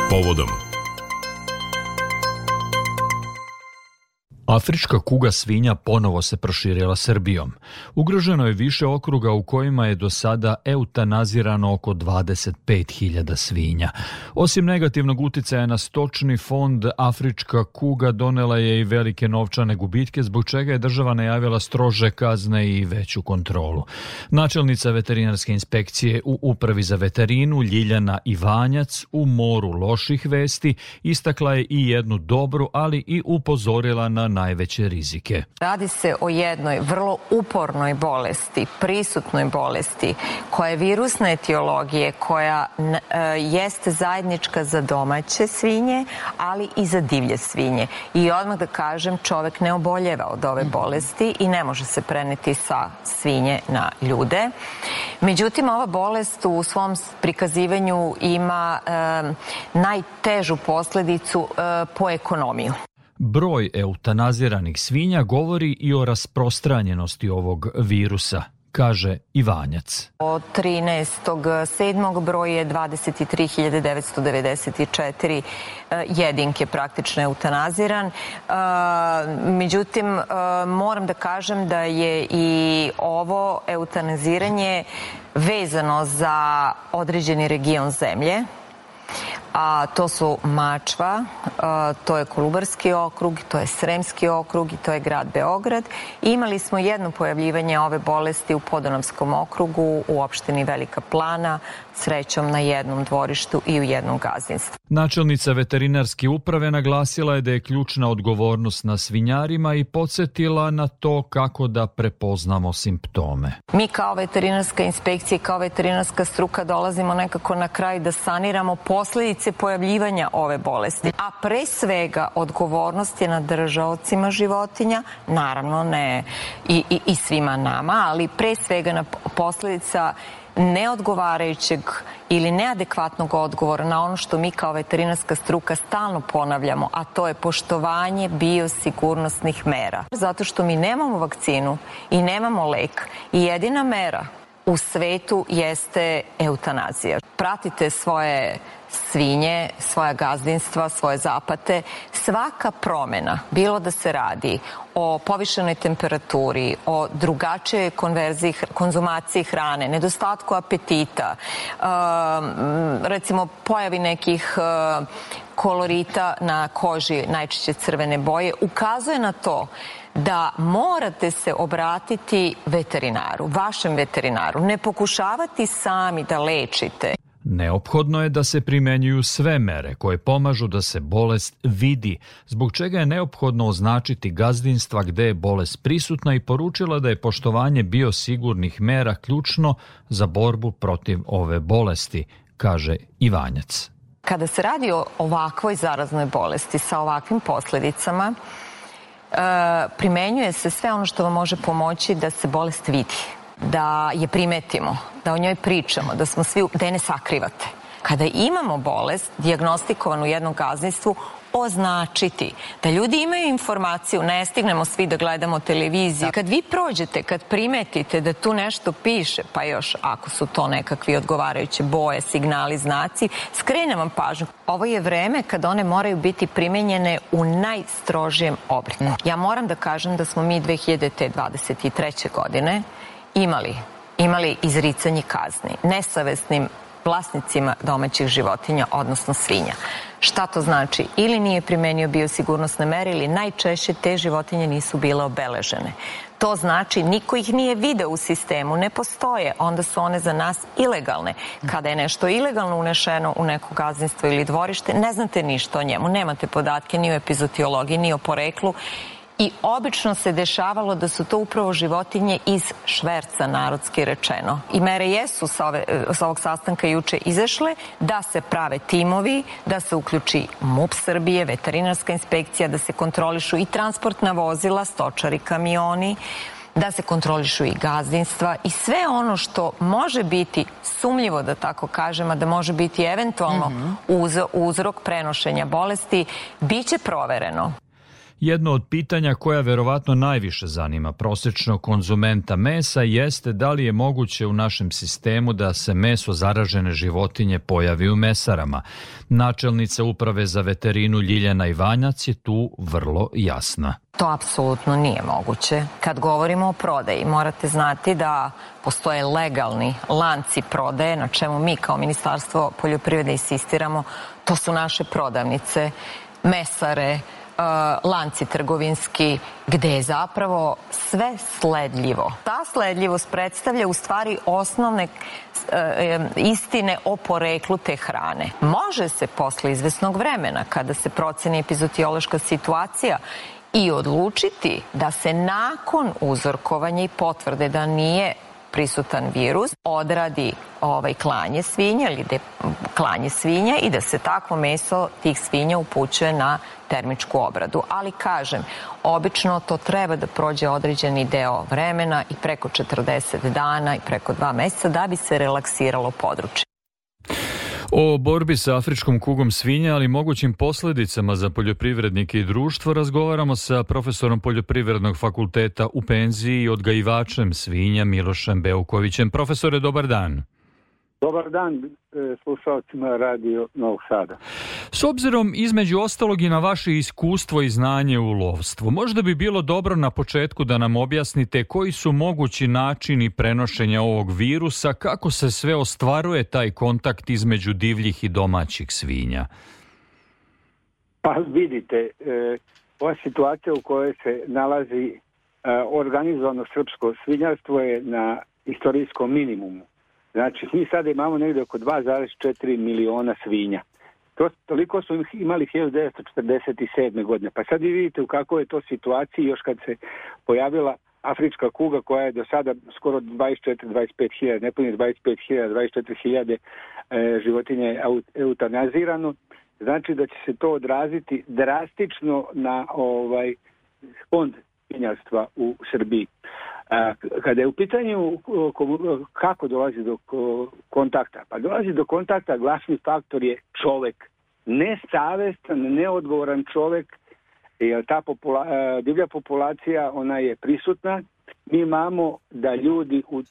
povodom. Afrička kuga svinja ponovo se proširila Srbijom. Ugroženo je više okruga u kojima je do sada eutanazirano oko 25.000 svinja. Osim negativnog uticaja na stočni fond, afrička kuga donela je i velike novčane gubitke, zbog čega je država najavila strože kazne i veću kontrolu. Načelnica veterinarske inspekcije u Upravi za veterinu Ljiljana Ivanjac u moru loših vesti istakla je i jednu dobru, ali i upozorila na najveće rizike. Radi se o jednoj vrlo upornoj bolesti, prisutnoj bolesti, koja je virusne etiologije, koja jeste zajednička za domaće svinje, ali i za divlje svinje. I odmah da kažem, čovek ne oboljeva od ove bolesti i ne može se preneti sa svinje na ljude. Međutim, ova bolest u svom prikazivanju ima najtežu posledicu po ekonomiju. Broj eutanaziranih svinja govori i o rasprostranjenosti ovog virusa, kaže Ivanjac. Od 13.7. broj je 23.994 jedinke praktično eutanaziran. Međutim, moram da kažem da je i ovo eutanaziranje vezano za određeni region zemlje. A to su Mačva, to je Kolubarski okrug, to je Sremski okrug i to je grad Beograd. Imali smo jedno pojavljivanje ove bolesti u Podunavskom okrugu, u opštini Velika Plana, srećom na jednom dvorištu i u jednom gazdinstvu. Načelnica veterinarske uprave naglasila je da je ključna odgovornost na svinjarima i podsjetila na to kako da prepoznamo simptome. Mi kao veterinarska inspekcija, kao veterinarska struka dolazimo nekako na kraj da saniramo posledice pojavljivanja ove bolesti. A pre svega odgovornost je na držaocima životinja, naravno ne i svima nama, ali pre svega na posledica neodgovarajućeg ili neadekvatnog odgovora na ono što mi kao veterinarska struka stalno ponavljamo, a to je poštovanje biosigurnosnih mera. Zato što mi nemamo vakcinu i nemamo lek i jedina mera u svetu jeste eutanazija. Pratite svoje svinje, svoja gazdinstva, svoje zapate. Svaka promena, bilo da se radi o povišenoj temperaturi, o drugačijoj konzumaciji hrane, nedostatku apetita, recimo pojavi nekih kolorita na koži, najčešće crvene boje, ukazuje na to da morate se obratiti veterinaru, vašem veterinaru, ne pokušavati sami da lečite. Neophodno je da se primenjuju sve mere koje pomažu da se bolest vidi, zbog čega je neophodno označiti gazdinstva gde je bolest prisutna i poručila da je poštovanje biosigurnih mera ključno za borbu protiv ove bolesti, kaže Ivanjac. Kada se radi o ovakvoj zaraznoj bolesti sa ovakvim posledicama, primenjuje se sve ono što vam može pomoći da se bolest vidi, da je primetimo, da o njoj pričamo, da je ne sakrivate. Kada imamo bolest dijagnostikovanu u jednom gazdinstvu, označiti, da ljudi imaju informaciju, ne stignemo svi da gledamo televiziju. Kad vi prođete, kad primetite da tu nešto piše, pa još ako su to nekakvi odgovarajuće boje, signali, znaci, skrenem vam pažnju. Ovo je vreme kada one moraju biti primenjene u najstrožijem obliku. Ja moram da kažem da smo mi 2023. godine imali izricanje kazni nesavesnim vlasnicima domaćih životinja, odnosno svinja. Šta to znači? Ili nije primenio biosigurnosne mere ili najčešće te životinje nisu bile obeležene. To znači niko ih nije video u sistemu, ne postoje, onda su one za nas ilegalne. Kada je nešto ilegalno unešeno u neko gazdinstvo ili dvorište, ne znate ništa o njemu, nemate podatke ni o epizootiologiji, ni o poreklu. I obično se dešavalo da su to upravo životinje iz šverca, narodski rečeno. I mere jesu sa ovog sastanka juče izašle da se prave timovi, da se uključi MUP Srbije, veterinarska inspekcija, da se kontrolišu i transportna vozila, stočari, kamioni, da se kontrolišu i gazdinstva i sve ono što može biti sumnjivo, da tako kažem, a da može biti eventualno uzrok prenošenja bolesti, bit će provereno. Jedno od pitanja koja verovatno najviše zanima prosječnog konzumenta mesa jeste da li je moguće u našem sistemu da se meso zaražene životinje pojavi u mesarama. Načelnica Uprave za veterinu Ljiljana Ivanjac je tu vrlo jasna. To apsolutno nije moguće. Kad govorimo o prodaji, morate znati da postoje legalni lanci prodaje, na čemu mi kao Ministarstvo poljoprivrede insistiramo. To su naše prodavnice, mesare, lanci trgovinski, gde je zapravo sve sledljivo. Ta sledljivost predstavlja u stvari osnovne istine o poreklu te hrane. Može se posle izvesnog vremena, kada se proceni epizootiološka situacija, i odlučiti da se nakon uzorkovanja i potvrde da nije prisutan virus odradi klanje svinja ili klanje svinja i da se takvo meso tih svinja upućuje na termičku obradu. Ali kažem, obično to treba da prođe određeni deo vremena i preko 40 dana i preko 2 meseca da bi se relaksiralo područje. O borbi sa afričkom kugom svinja, ali mogućim posledicama za poljoprivrednike i društvo, razgovaramo sa profesorom Poljoprivrednog fakulteta u penziji i odgajivačem svinja Milošem Beukovićem. Profesore, dobar dan. Dobar dan slušalcima Radio Novog Sada. S obzirom između ostalog i na vaše iskustvo i znanje u lovstvu, možda bi bilo dobro na početku da nam objasnite koji su mogući načini prenošenja ovog virusa, kako se sve ostvaruje taj kontakt između divljih i domaćih svinja. Pa vidite, ova situacija u kojoj se nalazi organizovano srpsko svinjarstvo je na istorijskom minimumu. Znači, mi sada imamo negdje oko 2,4 miliona svinja. Toliko su imali 1947. godine. Pa sad vi vidite u kakvoj je to situaciji još kad se pojavila afrička kuga koja je do sada skoro 24-25 hiljada, ne punije 25 hiljada, 24 hiljade životinje eutanazirano. Znači da će se to odraziti drastično na fond svinjarstva u Srbiji. Kada je u pitanju kako dolazi do kontakta, pa dolazi do kontakta, glavni faktor je čovek. Nesavestan, neodgovoran čovek, jer ta divlja populacija, ona je prisutna. Mi imamo da ljudi u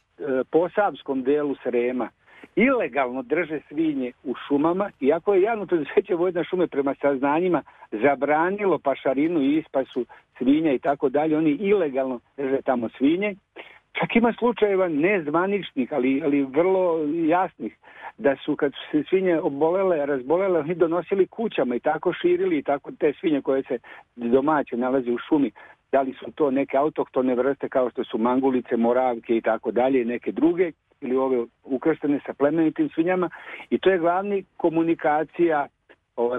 posavskom delu Srema ilegalno drže svinje u šumama, iako je javno preduzeće Vojvodina šume prema saznanjima zabranilo pašarinu i ispasu svinja i tako dalje, oni ilegalno drže tamo svinje. Čak ima slučajeva nezvaničnih, ali vrlo jasnih, da su kad su se svinje obolele, razbolele, oni donosili kućama i tako širili i tako te svinje koje se domaće nalaze u šumi. Da li su to neke autohtone vrste kao što su mangulice, moravke i tako dalje i neke druge, ili ove ukrštene sa plemenitim svinjama, i to je glavni komunikacija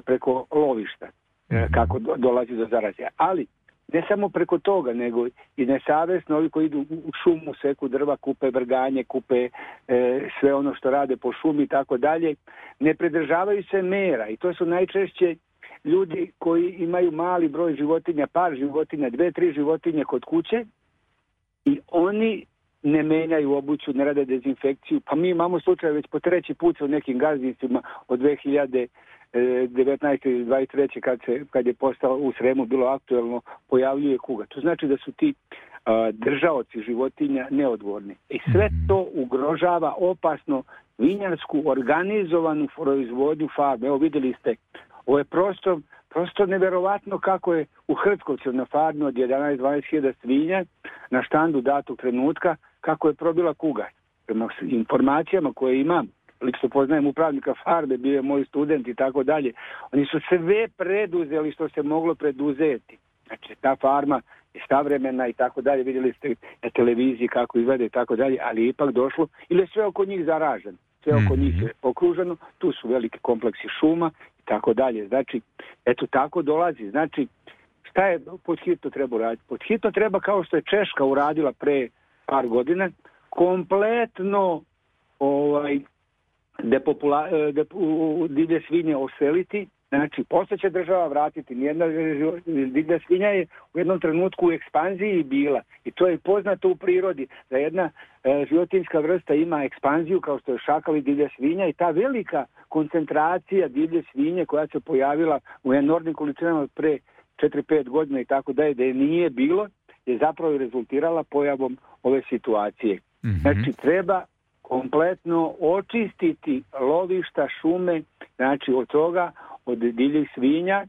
preko lovišta, kako dolazi do zarazja. Ali ne samo preko toga, nego i nesavesno ovi koji idu u šumu, seku drva, kupe vrganje, kupe sve ono što rade po šumi i tako dalje, ne pridržavaju se mera, i to su najčešće ljudi koji imaju mali broj životinja, par životinja, 2-3 životinje kod kuće, i oni ne menjaju obuću, ne rade dezinfekciju. Pa mi imamo slučaj već po 3. put u nekim gazdinstvima od 2019. ili 2023. kad je postalo u Sremu bilo aktuelno, pojavljuje kuga. To znači da su ti držaoci životinja neodgovorni. I sve to ugrožava opasno vinjarsku organizovanu proizvodnju farme. Evo vidjeli ste, ovo je prosto neverovatno kako je u Hrtkovcu na farmi od 11-12 hiljada svinja na štandu datog trenutka, kako je probila kuga. Prema informacijama koje imam, lično poznajem upravnika farme, bio je moj student i tako dalje, oni su sve preduzeli što se moglo preduzeti. Znači, ta farma je savremena i tako dalje, vidjeli ste na televiziji kako izgleda i tako dalje, ali je ipak došlo, ili je sve oko njih zaraženo, sve oko njih je okruženo, tu su veliki kompleksi šuma i tako dalje. Znači, eto tako dolazi. Znači, šta je pod hitno treba raditi? Pod hitno treba, kao što je Češka uradila pre par godina, kompletno divlje svinje oseliti. Znači, posle će država vratiti. Nijedna divlja svinja je u jednom trenutku u ekspanziji bila. I to je poznato u prirodi, da jedna životinjska vrsta ima ekspanziju, kao što je šakal i divlja svinja, i ta velika koncentracija divlje svinje koja se pojavila u enormnim količinama pre 4-5 godina i tako dalje, da je nije bilo, je zapravo rezultirala pojavom ove situacije. Znači, treba kompletno očistiti lovišta, šume, znači od toga, od divljih svinja,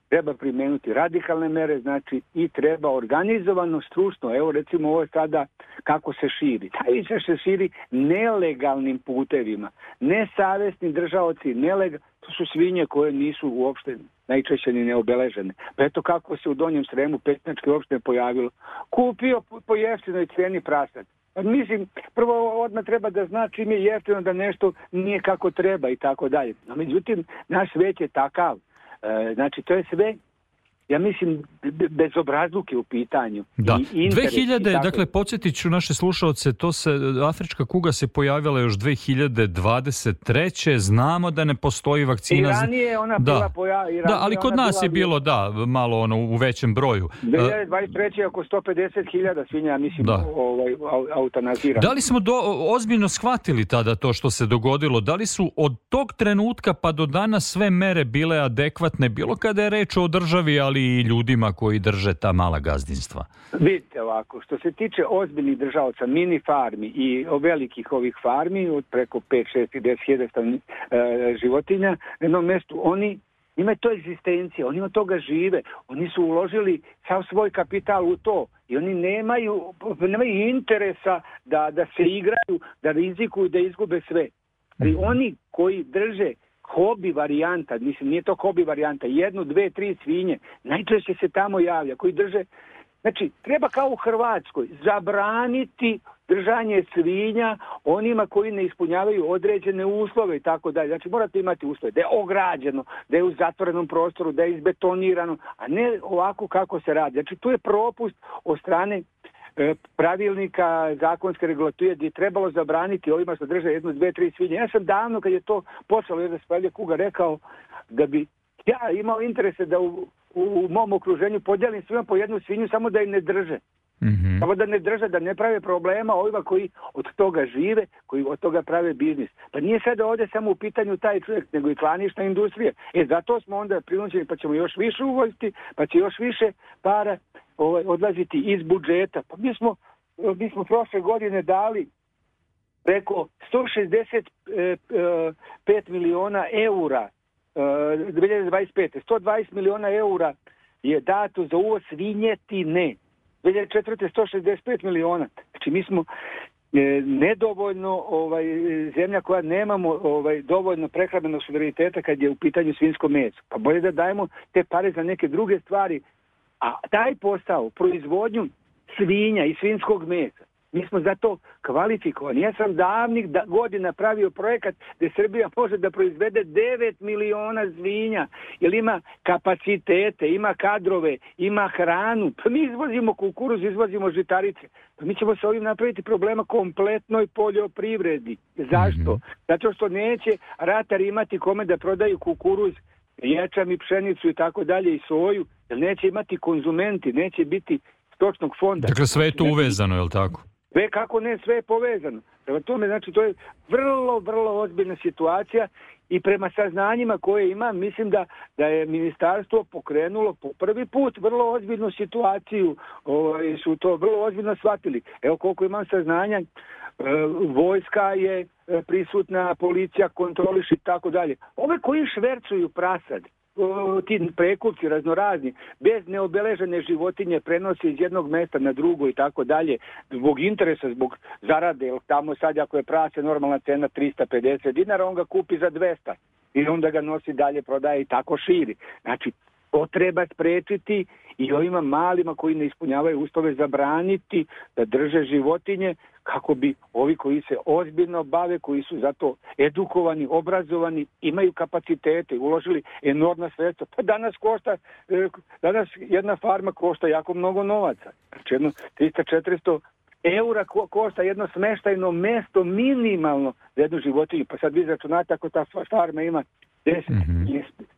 treba primenuti radikalne mere, znači i treba organizovano, stručno, evo recimo ovo sada kako se širi. Najviše se širi nelegalnim putevima. Nesavesni držaoci, to su svinje koje nisu uopšte najčešće ni neobeležene. Pa eto kako se u Donjem Sremu Petnjačke opštine pojavilo. Kupio po jeftinoj cijeni prasad. Mislim, prvo odmah treba da zna čim je jeftino da nešto nije kako treba i tako dalje. No, međutim, naš svet je takav. Znači, to je sve, ja mislim, bezobrazluke u pitanju. Da, 2000, dakle, podsjetit ću naše slušalce, afrička kuga se pojavila još 2023. Znamo da ne postoji vakcina. I ranije ona bila pojavila. Da, ali kod nas je bilo, malo u većem broju. 2023. oko 150.000 svinja, mislim, eutanazirano. Da li smo ozbiljno shvatili tada to što se dogodilo? Da li su od tog trenutka pa do danas sve mere bile adekvatne, bilo kada je reč o državi, ali i ljudima koji drže ta mala gazdinstva? Vidite ovako, što se tiče ozbiljnih državaca, mini farmi i velikih ovih farmi od preko 5, 6 i 10.000 životinja na jednom mjestu, oni imaju to egzistencije, oni od toga žive, oni su uložili sav svoj kapital u to i oni nemaju interesa da se igraju, da rizikuju, da izgube sve. Ali oni koji drže hobi varijanta, mislim nije to hobi varijanta, 1, 2, 3 svinje, najčešće se tamo javlja, koji drže, znači treba kao u Hrvatskoj zabraniti držanje svinja onima koji ne ispunjavaju određene uslove i tako dalje. Znači morate imati uslove da je ograđeno, da je u zatvorenom prostoru, da je izbetonirano, a ne ovako kako se radi. Znači tu je propust od strane pravilnika zakonske regulative gdje je trebalo zabraniti ovima što drže 1, 2, 3 svinje. Ja sam davno kad je to počelo da se pojavlja kuga rekao da bi ja imao interese da u mom okruženju podijelim svima po jednu svinju samo da je ne drže. Samo da ne drže, da ne prave problema ovima koji od toga žive, koji od toga prave biznis. Pa nije sada ovdje samo u pitanju taj čovjek, nego i klanična industrija. Zato smo onda prinuđeni pa ćemo još više uvoziti, pa će još više para odlaziti iz budžeta. Pa mi smo prošle godine dali preko 165 miliona eura 2025. 120 miliona eura je dato za uvoz svinjetine. 2004. 165 miliona. Znači mi smo nedovoljno zemlja koja nemamo dovoljno prehrambenog suvereniteta kad je u pitanju svinjsko meso. Pa bolje da dajemo te pare za neke druge stvari. A taj posao, proizvodnju svinja i svinjskog mesa, mi smo za to kvalifikovani. Ja sam davnih godina pravio projekat gdje Srbija može da proizvede 9 miliona svinja, jer ima kapacitete, ima kadrove, ima hranu. Pa mi izvozimo kukuruz, izvozimo žitarice. Pa mi ćemo se ovim napraviti problema kompletnoj poljoprivredi. Zašto? Zato što neće ratari imati kome da prodaju kukuruz, ječam i pšenicu i tako dalje i soju, jer neće imati konzumenti, neće biti stočnog fonda. Dakle, sve je to uvezano, je li tako? Sve kako ne, sve je povezano. Prema tome, znači, to je vrlo, vrlo ozbiljna situacija i prema saznanjima koje imam, mislim da je ministarstvo pokrenulo po prvi put vrlo ozbiljnu situaciju, su to vrlo ozbiljno shvatili. Evo koliko imam saznanja, vojska je prisutna, policija kontroliši i tako dalje. Ove koji švercuju prasad, ti prekupci raznorazni, bez neobeležene životinje prenose iz jednog mjesta na drugo i tako dalje, zbog interesa, zbog zarade, jer tamo sad ako je prase normalna cena 350 dinara, on ga kupi za 200 i onda ga nosi dalje, prodaje i tako širi. Znači, to treba sprečiti i ovima malima koji ne ispunjavaju uslove zabraniti da drže životinje, kako bi ovi koji se ozbiljno bave, koji su zato edukovani, obrazovani, imaju kapacitete, uložili enormna sredstva. Pa danas jedna farma košta jako mnogo novaca. Znači 300-400 eura košta jedno smeštajno mesto minimalno za jednu životinju. Pa sad vi izračunate ako ta farma ima 10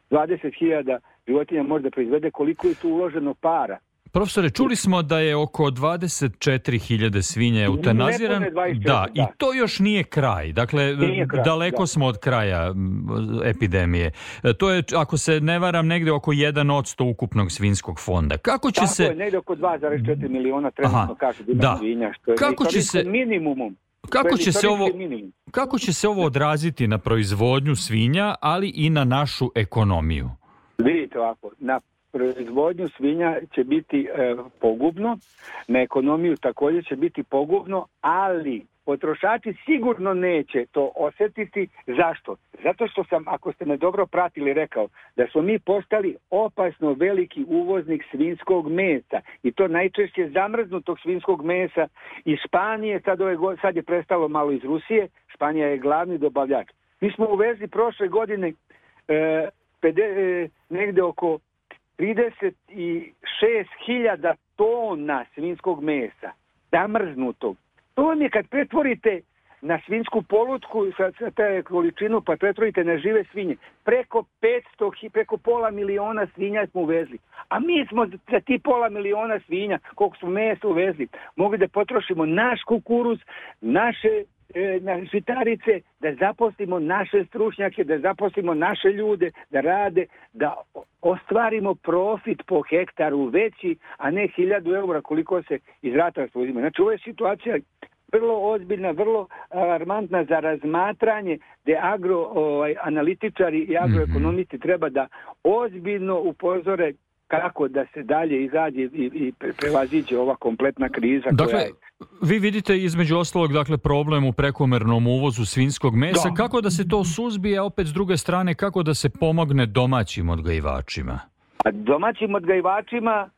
20.000 životinja možda proizvede, koliko je tu uloženo para. Profesore, čuli smo da je oko 24.000 svinja eutanazirano. Da, i to još nije kraj. Dakle, daleko smo od kraja epidemije. To je, ako se ne varam, negde oko 1% ukupnog svinjskog fonda. Kako će tako se... je, negde oko 2,4 miliona trenutno kaže da ima svinja, što je istorijskom minimumom. Kako će se ovo odraziti na proizvodnju svinja, ali i na našu ekonomiju? Vidite ovako, na proizvodnju svinja će biti pogubno, na ekonomiju također će biti pogubno, ali potrošači sigurno neće to osjetiti. Zašto? Zato što sam, ako ste me dobro pratili, rekao da smo mi postali opasno veliki uvoznik svinjskog mesa i to najčešće zamrznutog svinjskog mesa iz Španije, sad je prestalo malo iz Rusije, Španija je glavni dobavljač. Mi smo uvezli prošle godine negde oko 36.000 tona svinjskog mesa, zamrznutog. To vam je kad pretvorite na svinjsku polutku sa te količinu, pa pretvorite na žive svinje. Preko 500.000 svinja smo uvezli. A mi smo za ti 500.000 svinja, koliko smo mesa uvezli, mogli da potrošimo naš kukuruz, naše žitarice, da zaposlimo naše stručnjake, da zaposlimo naše ljude, da rade, da ostvarimo profit po hektaru veći, a ne 1.000 eura koliko se iz ratarstva uzima. Znači, ovo je situacija vrlo ozbiljna, vrlo alarmantna za razmatranje, gdje agroanalitičari i agroekonomisti treba da ozbiljno upozore kako da se dalje izađe i prevaziđe ova kompletna kriza. Dakle, vi vidite između ostalog problem u prekomernom uvozu svinjskog mesa. Da. Kako da se to suzbije, a opet s druge strane kako da se pomogne domaćim odgajivačima? A domaćim odgajivačima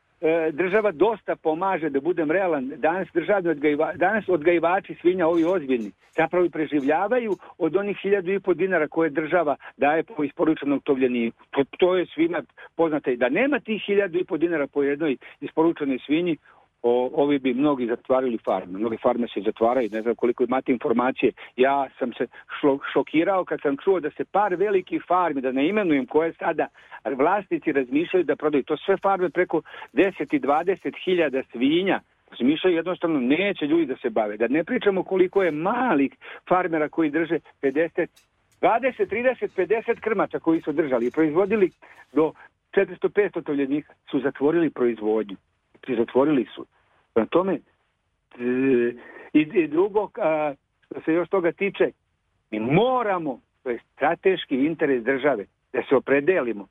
država dosta pomaže, da budem realan. Danas odgajivači svinja, ovi ozbiljni, zapravo preživljavaju od onih 1.500 dinara koje država daje po isporučenom tovljeniku. To je svima poznato. Da nema tih 1.500 dinara po jednoj isporučenoj svinji, ovi bi mnogi zatvarali farme. Mnoge farme se zatvaraju, ne znam koliko imate informacije. Ja sam se šokirao kad sam čuo da se par velikih farmi, da ne imenujem koje sada vlasnici razmišljaju da prodaju. To sve farme preko 10 i 20.000 svinja razmišljaju, jednostavno neće ljudi da se bave. Da ne pričamo koliko je malih farmera koji drže 50, 20, 30, 50 krmača koji su držali i proizvodili do 400-500 tovljenika, su zatvorili proizvodnju. Zatvorili su. Na tome i drugo, što se još toga tiče, mi moramo, to je strateški interes države, da se opredelimo.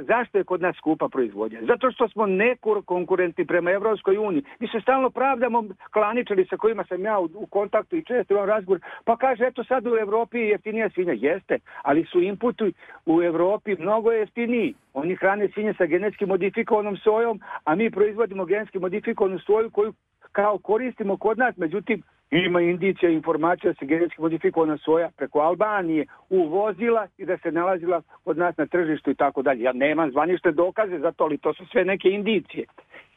Zašto je kod nas skupa proizvodnja? Zato što smo nekonkurentni prema Evropskoj uniji. Mi se stalno pravdamo, klaničari sa kojima sam ja u kontaktu i često imam razgovor, pa kaže, eto sad u Evropi je jeftinija svinja. Jeste, ali su inputi u Evropi mnogo jeftiniji. Oni hrane svinje sa genetski modifikovanom sojom, a mi proizvodimo genetski modifikovanu soju koju kao koristimo kod nas, međutim ima indicija i informacija da se genetski modifikovana soja preko Albanije uvozila i da se nalazila kod nas na tržištu i tako dalje. Ja nemam zvanične dokaze za to, ali to su sve neke indicije.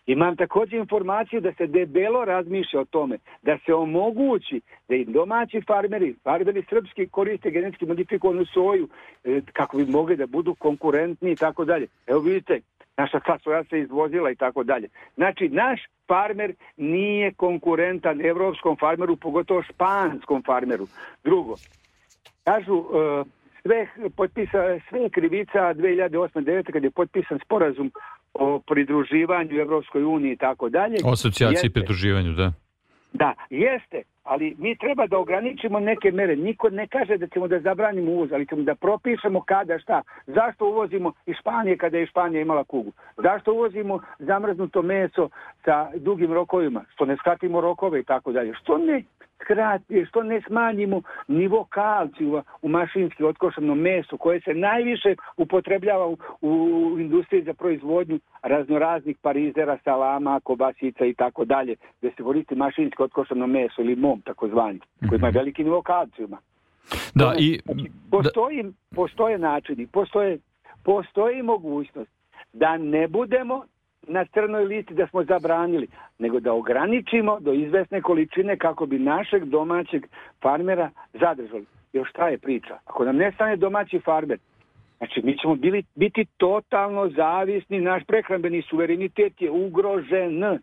Imam također informaciju da se debelo razmišlja o tome, da se omogući da i domaći farmeri srpski koriste genetski modifikovanu soju kako bi mogli da budu konkurentni i tako dalje. Evo vidite, naša soja se izvozila i tako dalje. Znači, naš farmer nije konkurentan evropskom farmeru, pogotovo španskom farmeru. Drugo, kažu, sve krivica 2008-2009 kad je potpisan sporazum o pridruživanju Evropskoj uniji i tako dalje. O asocijaciji i pridruživanju, da. Da, jeste, ali mi treba da ograničimo neke mere. Niko ne kaže da ćemo da zabranimo uvoz, ali ćemo da propišemo kada šta. Zašto uvozimo iz Španije kada je Španija imala kugu? Zašto uvozimo zamrznuto meso sa dugim rokovima? Što ne skratimo rokove i tako dalje? Što ne smanjimo nivo kalcija u mašinski otkošanom mesu koje se najviše upotrebljava u industriji za proizvodnju raznoraznih parizera, salama, kobasica i tako dalje, gdje se koristi mašinski otkošano meso ili mom takozvani, koji ima veliki nivo kalcijuma. Da, postoje načini, postoji mogućnost da ne budemo na crnoj listi da smo zabranili, nego da ograničimo do izvesne količine kako bi našeg domaćeg farmera zadržali. Još šta je priča? Ako nam nestane domaći farmer, Znači, mi ćemo biti totalno zavisni, naš prehrambeni suverenitet je ugrožen.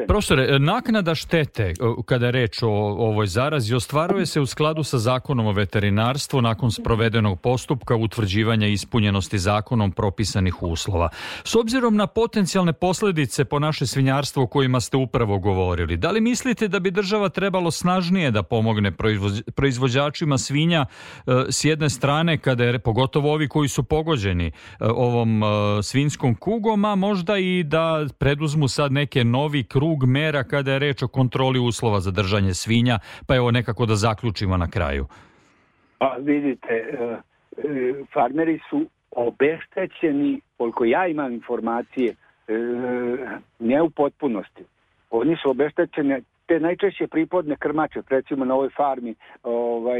Profesore, naknada štete kada je reč o ovoj zarazi ostvaruje se u skladu sa Zakonom o veterinarstvu nakon sprovedenog postupka utvrđivanja ispunjenosti zakonom propisanih uslova. S obzirom na potencijalne posljedice po naše svinjarstvo o kojima ste upravo govorili, da li mislite da bi država trebalo snažnije da pomogne proizvođačima svinja s jedne strane, kada je pogotovo ovi koji su pogođeni ovom svinjskom kugom, a možda i da preduzmu sad neke novi krug mera kada je reč o kontroli uslova za držanje svinja, pa evo nekako da zaključimo na kraju. Pa vidite, farmeri su obeštećeni, koliko ja imam informacije, ne u potpunosti. Oni su obeštećeni, te najčešće pripodne krmače, recimo na ovoj farmi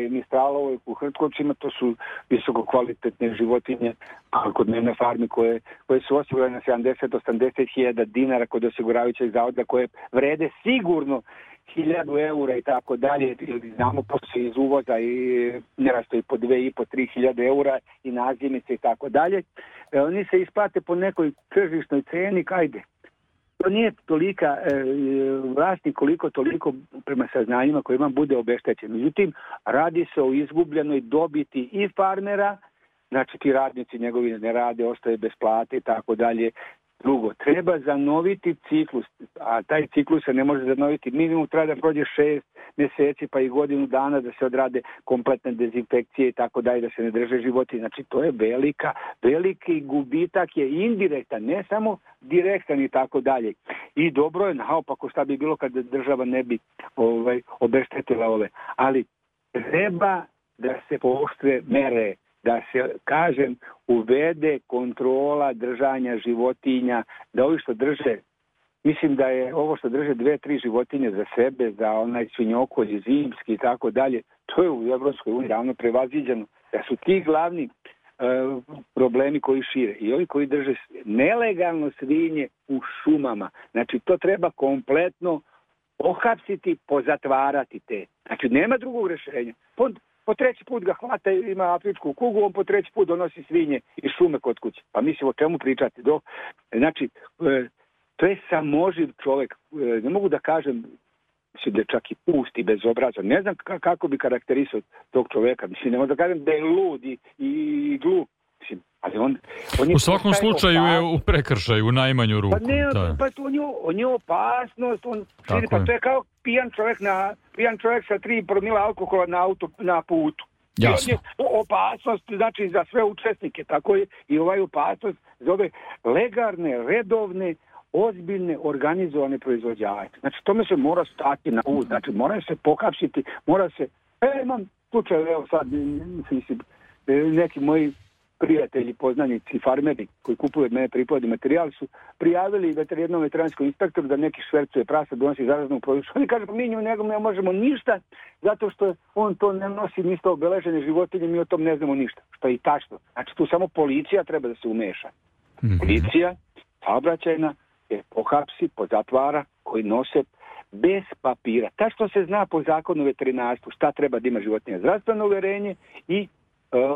Mistralovoj u Hrtkovcima, to su visoko kvalitetne životinje, a kod mene na farmi koje su osigurane na 70-80 hiljada dinara kod osiguravajućeg zavoda, koje vrede sigurno 1000 eura i tako dalje, znamo posle iz uvoza i nerasto i po 2,5-3 hiljade eura i nazimice i tako dalje. Oni se isplate po nekoj tržišnoj ceni, kajde. To nije tolika vlasnik koliko toliko prema saznanjima koje imam bude obeštećen. Međutim, radi se o izgubljenoj dobiti i farmera, znači ti radnici njegovi ne rade, ostaje bez plate i tako dalje. Drugo, treba zanoviti ciklus, a taj ciklus se ne može zanoviti. Minimum treba da prođe 6 mjeseci pa i godinu dana da se odrade kompletne dezinfekcije i tako dalje, da se ne drže životinje. Znači to je veliki gubitak je indirektan, ne samo direktan i tako dalje. I dobro je, naopako šta bi bilo kad država ne bi obeštetila ove. Ali treba da se pooštre mere, da se, kažem, uvede kontrola držanja životinja, da ovi što drže, mislim da je ovo što drže 2-3 životinje za sebe, za onaj svinjokolj zimski i tako dalje, to je u Evropskoj uniji ravno prevaziđeno, da su ti glavni problemi koji šire. I ovi koji drže nelegalno svinje u šumama, znači to treba kompletno ohapsiti, pozatvarati te. Znači nema drugog rješenja. Po treći put ga hvata, ima afričku kugu, on po treći put donosi svinje iz šume kod kuće. Pa mislim o čemu pričati? Znači, to je samoživ čovjek. Ne mogu da kažem, mislim da je čak i pust i bezobrazan. Ne znam kako bi karakterisao tog čovjeka. Mislim, ne mogu da kažem da je lud i glup. Mislim, ali on u svakom slučaju je u prekršaju, u najmanju ruku. Pa on je opasnost. Pa to je kao pijan čovjek sa 3 promila alkohola na putu. Jasno. Opasnost, znači za sve učesnike. Tako je i ovaj opasnost za ove legalne, redovne, ozbiljne, organizovane proizvođače. Znači tome se mora stati na put. Znači mora se pohapsiti, mora se... imam slučaj, evo sad, neki moji prijatelji, poznanici, farmeri koji kupuju od mene priplodni materijal su prijavili jednom veterinarskom inspektoru da neki švercuje prasa, donosi zaraznu produkciju. Oni kažu, mi njemu ne možemo ništa zato što on to ne nosi ništa obeležene životinje, mi o tom ne znamo ništa. Što je i tačno. Znači tu samo policija treba da se umeša. Policija, saobraćajna, je pohapsi, pozatvara, koji nose bez papira. Tačno se zna po zakonu o veterinarstvu šta treba da ima životinja. Zdravstveno uverenje i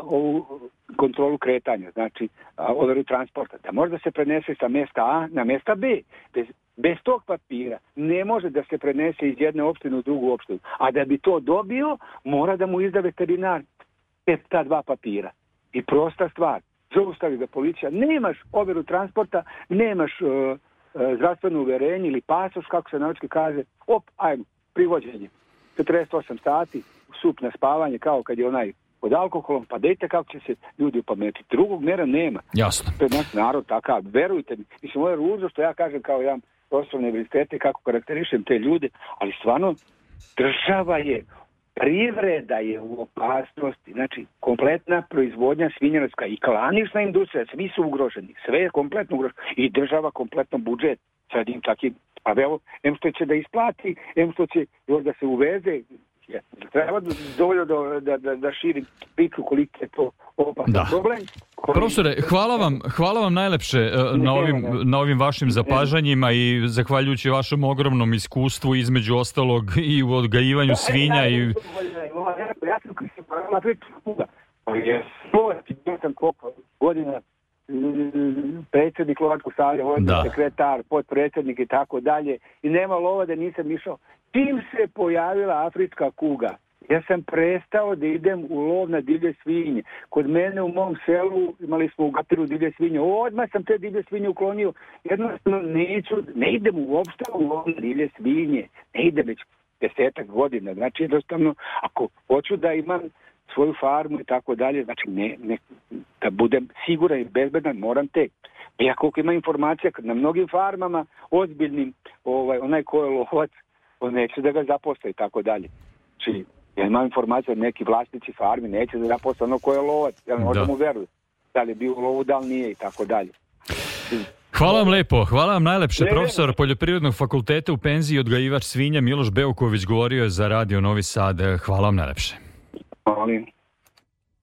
ovu kontrolu kretanja, znači overu transporta, da može da se prenese sa mjesta A na mjesta B. Bez tog papira ne može da se prenese iz jedne opštine u drugu opštinu. A da bi to dobio, mora da mu izda veterinar ta 2 papira. I prosta stvar, zaustavi ga policija, nemaš overu transporta, nemaš zdravstveno uverenje ili pasoš, kako se naučki kaže, ajmo, privođenje. 48 sati, sup na spavanje, kao kad je onaj pod alkoholom, pa dejte kako će se ljudi opametiti. Drugog mjera nema. Jasno. To je naš narod takav, verujte mi. Mislim, ovo je ružno što ja kažem kao jedan profesor univerziteta kako karakterišem te ljude, ali stvarno država je, privreda je u opasnosti. Znači, kompletna proizvodnja svinjarska i klanična industrija, svi su ugroženi. Sve je kompletno ugroženo. I država kompletno budžet. Sad im čak i, a evo, em što će da isplati, em što će još da se uveze. Treba dovoljno da širim priču koliko je to opasan problem. Profesore, hvala vam najlepše na ovim vašim zapažanjima i zahvaljujući vašem ogromnom iskustvu između ostalog i u odgajivanju svinja i... Ja sam priču kuga. bio sam koliko godina predsjednik lovačkog saveza, sekretar, potpredsjednik i tako dalje, i nema lova da nisam išao. Čim se pojavila afrička kuga, ja sam prestao da idem u lov na divlje svinje. Kod mene u mom selu imali smo u Gatiru divlje svinje. Odmah sam te divlje svinje uklonio. Jednostavno ne idem uopšte u lov na divlje svinje. Ne idem već 10 godina. Znači jednostavno, ako hoću da imam svoju farmu i tako dalje, znači da budem siguran i bezbedan, moram te. Ja koliko ima informacija na mnogim farmama, ozbiljnim, onaj ko je lovac, on neće da ga zaposle i tako dalje. Znači, ja imam informaciju da neki vlasnici farmi neće da zaposle ono ko je lovac, ja možda mu veruju. Da li je bio u lovu, da li nije i tako dalje. Hvala vam lepo, hvala vam najlepše. Profesor Poljoprivrednog fakulteta u penziji, odgajivač svinja Miloš Beuković govorio je za Radio Novi Sad. Hvala vam najlepše. Hvala.